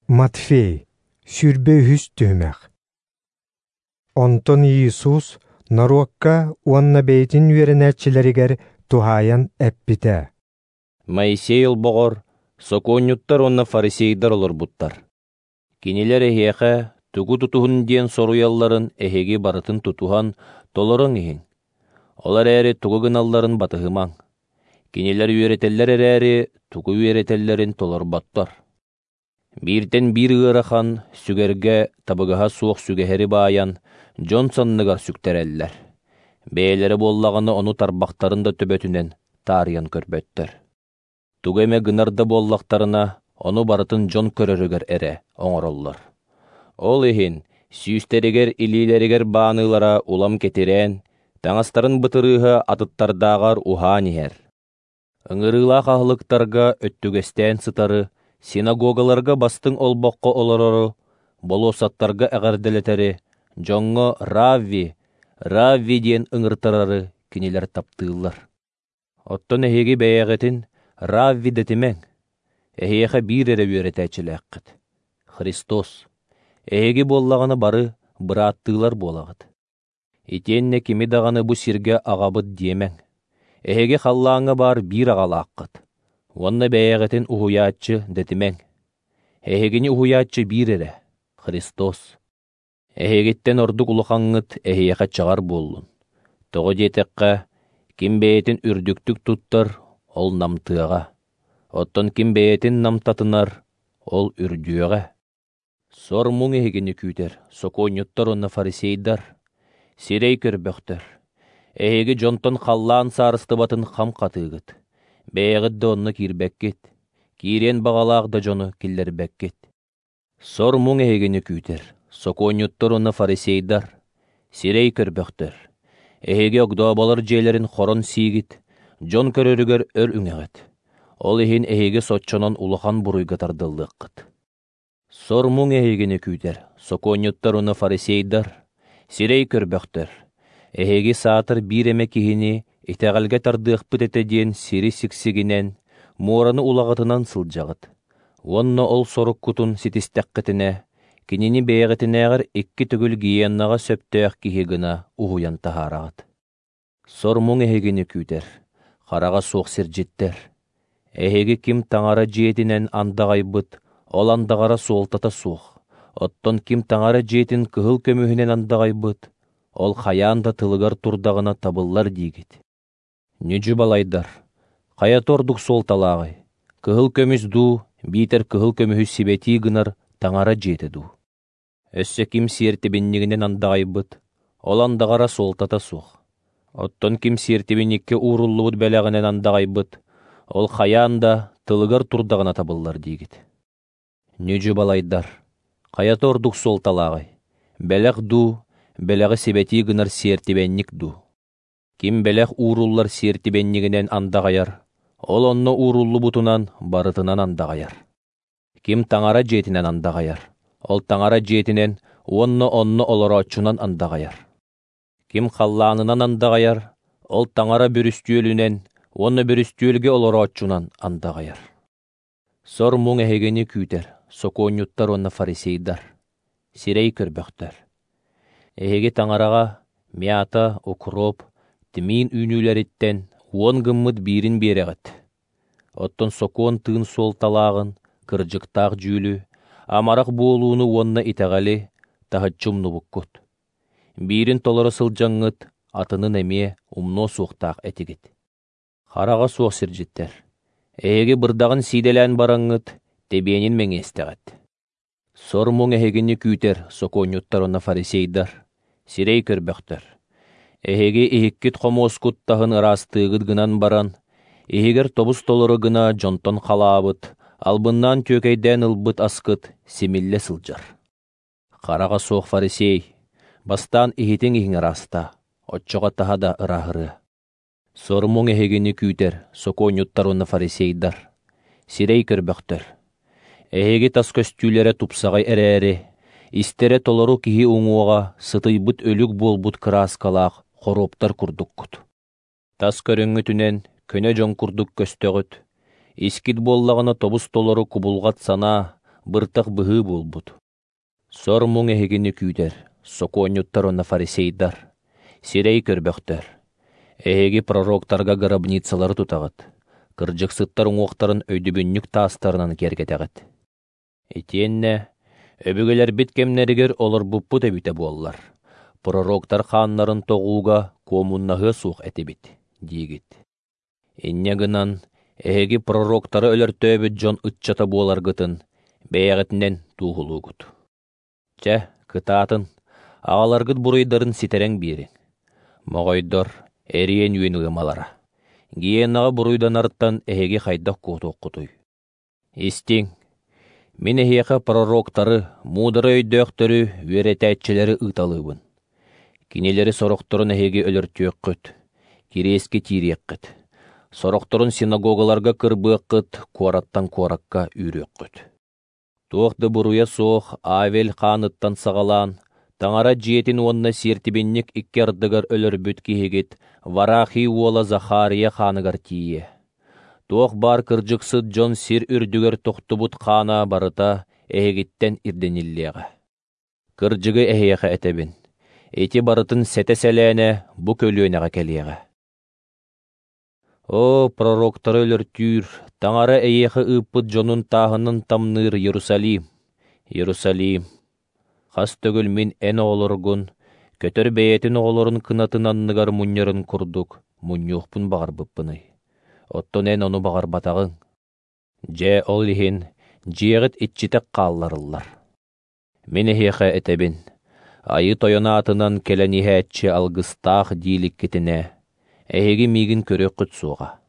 Матфей, 23 түһүмэх. Онтон Иисус норуокка уонна бэйэтин үөрэнээччилэригэр туһаайан эппитэ. Моисей олбоҕор сокуонньуттар уонна фарисейдар олорбуттар. Кинилэр эһиэхэ тугу тутуһун диэн соруйалларын эһиги барытын тутуһан толорон иһин. Ол эрээри тугу гыналларын батыһымаҥ. Кинилэр үөрэтэллэр эрээри тугу үөрэтэллэрин толорботтор. Бииртэн биир ыарахан, сүгэргэ табыгаһа суох сүгэһэри баайан, дьон санныгар сүктэрэллэр. Бэйэлэрэ буоллаҕына ону тарбахтарын да төбөтүнэн таарыйан көрбөттөр. Тугу эмэ гынар да буоллахтарына, ону барытын дьон көрөрүгэр эрэ оҥороллор. Ол иһин сүүстэригэр илиилэригэр бааныылара улам кэтирээн, таҥастарын бытырыыһа атыттардааҕар уһаан иһэр. Ыҥырыылаах аһылыктарга өттүгэстээн сытары, синагогаларга бастыҥ олбоххо олорору, болуоссаттарга эҕэрдэлэтэри, дьоҥҥо «Равви, Равви» диэн ыҥыртарары кинилэр таптыыллар. Оттон эһиги бэйэҕитин «Равви» дэтимэҥ, эһиэхэ биир эрэ үөрэтээччилээххит – Христос. Эһиги буоллаҕына бары бырааттыылар буолаҕыт. Итиэннэ кими даҕаны бу сиргэ аҕабыт диэмэҥ. Эһиги халлааҥҥа баар биир аҕалааххыт. Уонна бэйэҕитин уһуйааччы дэтимэҥ. Эһигини уһуйааччы биир эрэ – Христос. Эһигиттэн ордук улахаҥҥыт эһиэхэ чаҕар буоллун. Тоҕо диэтэххэ, ким бэйэтин үрдүктүк туттар, ол намтыаҕа. Оттон ким бэйэтин намтатынар, ол үрдүөҕэ. Сор муҥ эһигини күүтэр, сокуонньуттар уонна фарисейдар, сирэй көрбөхтөр. Эһиги дьонтон халлаан саарыстыбатын хам хатыыгыт. Бэйэҕит да онно киирбэккит, киириэн баҕалаах да дьону киллэрбэккит. Сор муҥ эһигини күүтэр, сокуонньуттар уонна фарисейдар, сирэй көрбөхтөр. Эһиги огдооболор дьиэлэрин хорон сиигит, дьон көрөрүгэр өр үҥэҕит. Ол иһин эһиги соччонон улахан буруйга тардыллыаххыт. Сор муҥ эһигини күүтэр, сокуонньуттар уонна фарисейдар, сирэй көрбөхтөр. Эһиги саатар биир эмэ киһини итэҕэлгэ тардыахпыт этэ диэн сири сиксигинэн, муораны улаҕатынан сылдьаҕыт. Уонна ол соруккутун ситистэххитинэ, кинини бэйэҕитинээҕэр икки төгүл гиеннаҕа сөптөөх киһи гына уһуйан таһаараҕыт. Сор муҥ эһигини күүтэр, хараҕа суох сирдьиттэр. Эһиги ким таҥара дьиэтинэн андаҕайбыт, ол андаҕара суолтата суох. Оттон ким таҥара дьиэтин кыһыл көмүһүнэн андаҕайбыт, ол хайаан да тылыгар турдаҕына табыллар диигит. Ньүдьү балайдар, хайата ордук суолталааҕый, кыһыл көмүс дуу, биитэр кыһыл көмүһү сибэтии гынар таҥара дьиэтэ дуу? Өссө ким сиэртибинньигинэн андаҕайбыт, ол андаҕара суолтата суох. Оттон ким сиэртибинньиккэ ууруллубут бэлэҕинэн андаҕайбыт, ол хайаан да тылыгар турдаҕына табыллар диигит. Ньүдьү балайдар, хайата ордук суолталааҕый, бэлэх дуу, бэлэҕи сибэтии гынар сиэртибэнньик дуу? Ким бэлэх ууруллар сиэртибэнньигинэн андаҕайар, ол онно ууруллубутунан барытынан андаҕайар. Ким таҥара дьиэтинэн андаҕайар, ол таҥара дьиэтинэн уонна онно олорооччунан андаҕайар. Ким халлаанынан андаҕайар, ол таҥара бүрүстүөлүнэн уонна бүрүстүөлгэ олорооччунан андаҕайар. Сор муҥ эһигини күүтэр, сокуонньуттар уонна фарисейдар, сирэй көрбөхтөр. Эһиги таҥараҕа мята, укроп, тмин үүнүүлэриттэн уон гыммыт биирин биэрэҕит. Оттон сокуон тыын суолталааҕын, кырдьыктаах дьүүлү, амарах буолууну уонна итэҕэли таһыччы умнубуккут. Биирин толоро сылдьаҥҥыт, атынын эмиэ умнуо суохтаах этигит. Хараҕа суох сирдьиттэр, эһиги бырдаҕын сиидэлээн бараҥҥыт, тэбиэнин мэҥиэстэҕит. Сор муҥ эһигини күүтэр, сокуонньуттар уонна фарисейдар, сирэй көрбөхтөр. Эһиги иһиккит хомуоскут таһын ыраастыыгыт гынан баран, иһигэр тобус толору гына дьонтон халаабыт, албыннаан түөкэйдээн ылбыт аскыт симиллэ сылдьар. Хараҕа суох фарисей, бастаан иһитиҥ иһиҥ ыраастаа, оччоҕо таһа да ырааһырыа. Сор муҥ эһигини күүтэр, сокуонньуттар уонна фарисейдар, сирэй көрбөхтөр. Эһиги тас көстүүлэрэ тупсаҕай эрээри, истэрэ толору киһи уҥуоҕа сытыйбыт өлүк буолбут кырааскалаах хоруоптар курдуккут. Тас көрүҥҥүтүнэн көнө дьон курдук көстөҕүт, искит буоллаҕына тобус толору кубулҕат санаа, быртах быһыы буолбут. Сор-муҥ эһигини күүтэр, сокуонньуттар уонна фарисейдар, сирэй көрбөхтөр. Эһиги пророктарга гробницалары тутаҕыт, кырдьыксыттар уҥуохтарын өйдөбүнньүк таастарынан киэргэтэҕит. Итиэннэ өбүгэлэрбит кэмнэригэр олорбуппут эбитэ буоллар, пророктар хааннарын тоҕууга куомуннаһыа суох этибит, диигит. Инньэ гынан, эһиги пророктары өлөртөөбүт дьон ыччата буоларгытын бэйэҕитинэн туоһулуугут. Чэ, кытаатын, аҕаларгыт буруйдарын ситэрэн биэриҥ. Моҕойдор, эриэн үөн ыамалара. Гиенаҕа буруйданартан эһиги хайдах куотуоххутуй? Истиҥ, мин эһиэхэ пророктары, муударай өйдөөхтөрү, үөрэтээччилэри ыыталыыбын. Кинилэри сорохторун эһиги өлөртүөххүт, кириэскэ тиириэххит, сорохторун синагогаларга кырбыаххыт, куораттан куоракка үүрүөххүт. Туох да буруйа суох Авель хааныттан саҕалаан, Таҥара дьиэтин уонна сиэртибинньик икки ардыгар өлөрбүт киһигит Варахий уола Захария хааныгар тиийэ. Туох баар кырдьыксыт дьон сир үрдүгэр тохтубут хаана барыта эһигиттэн ирдэниллиэҕэ. Кырдьыгы эһиэхэ этэбин, ити барытын сэтэ-сэлээнэ бу көлүөнэҕэ кэлиэҕэ. О, пророктары өлөртүүр, Таҥара эйиэхэ ыыппыт дьонун тааһынан тамныыр Иерусалим, Иерусалим! Хас төгүл мин эн оҕолоргун, көтөр бэйэтин оҕолорун кынатын анныгар мунньарын курдук, мунньуохпун баҕарбыппыный. Оттон эн ону баҕарбатаҕыҥ. Дьэ, ол иһин дьиэҕит иччитэх хаалларыллар. Мин эһиэхэ этэбин, Айыы Тойон аатынан кэлэн иһээччи алгыстаах дииликкитинэ, эһиги миигин көрүөххүт суоҕа.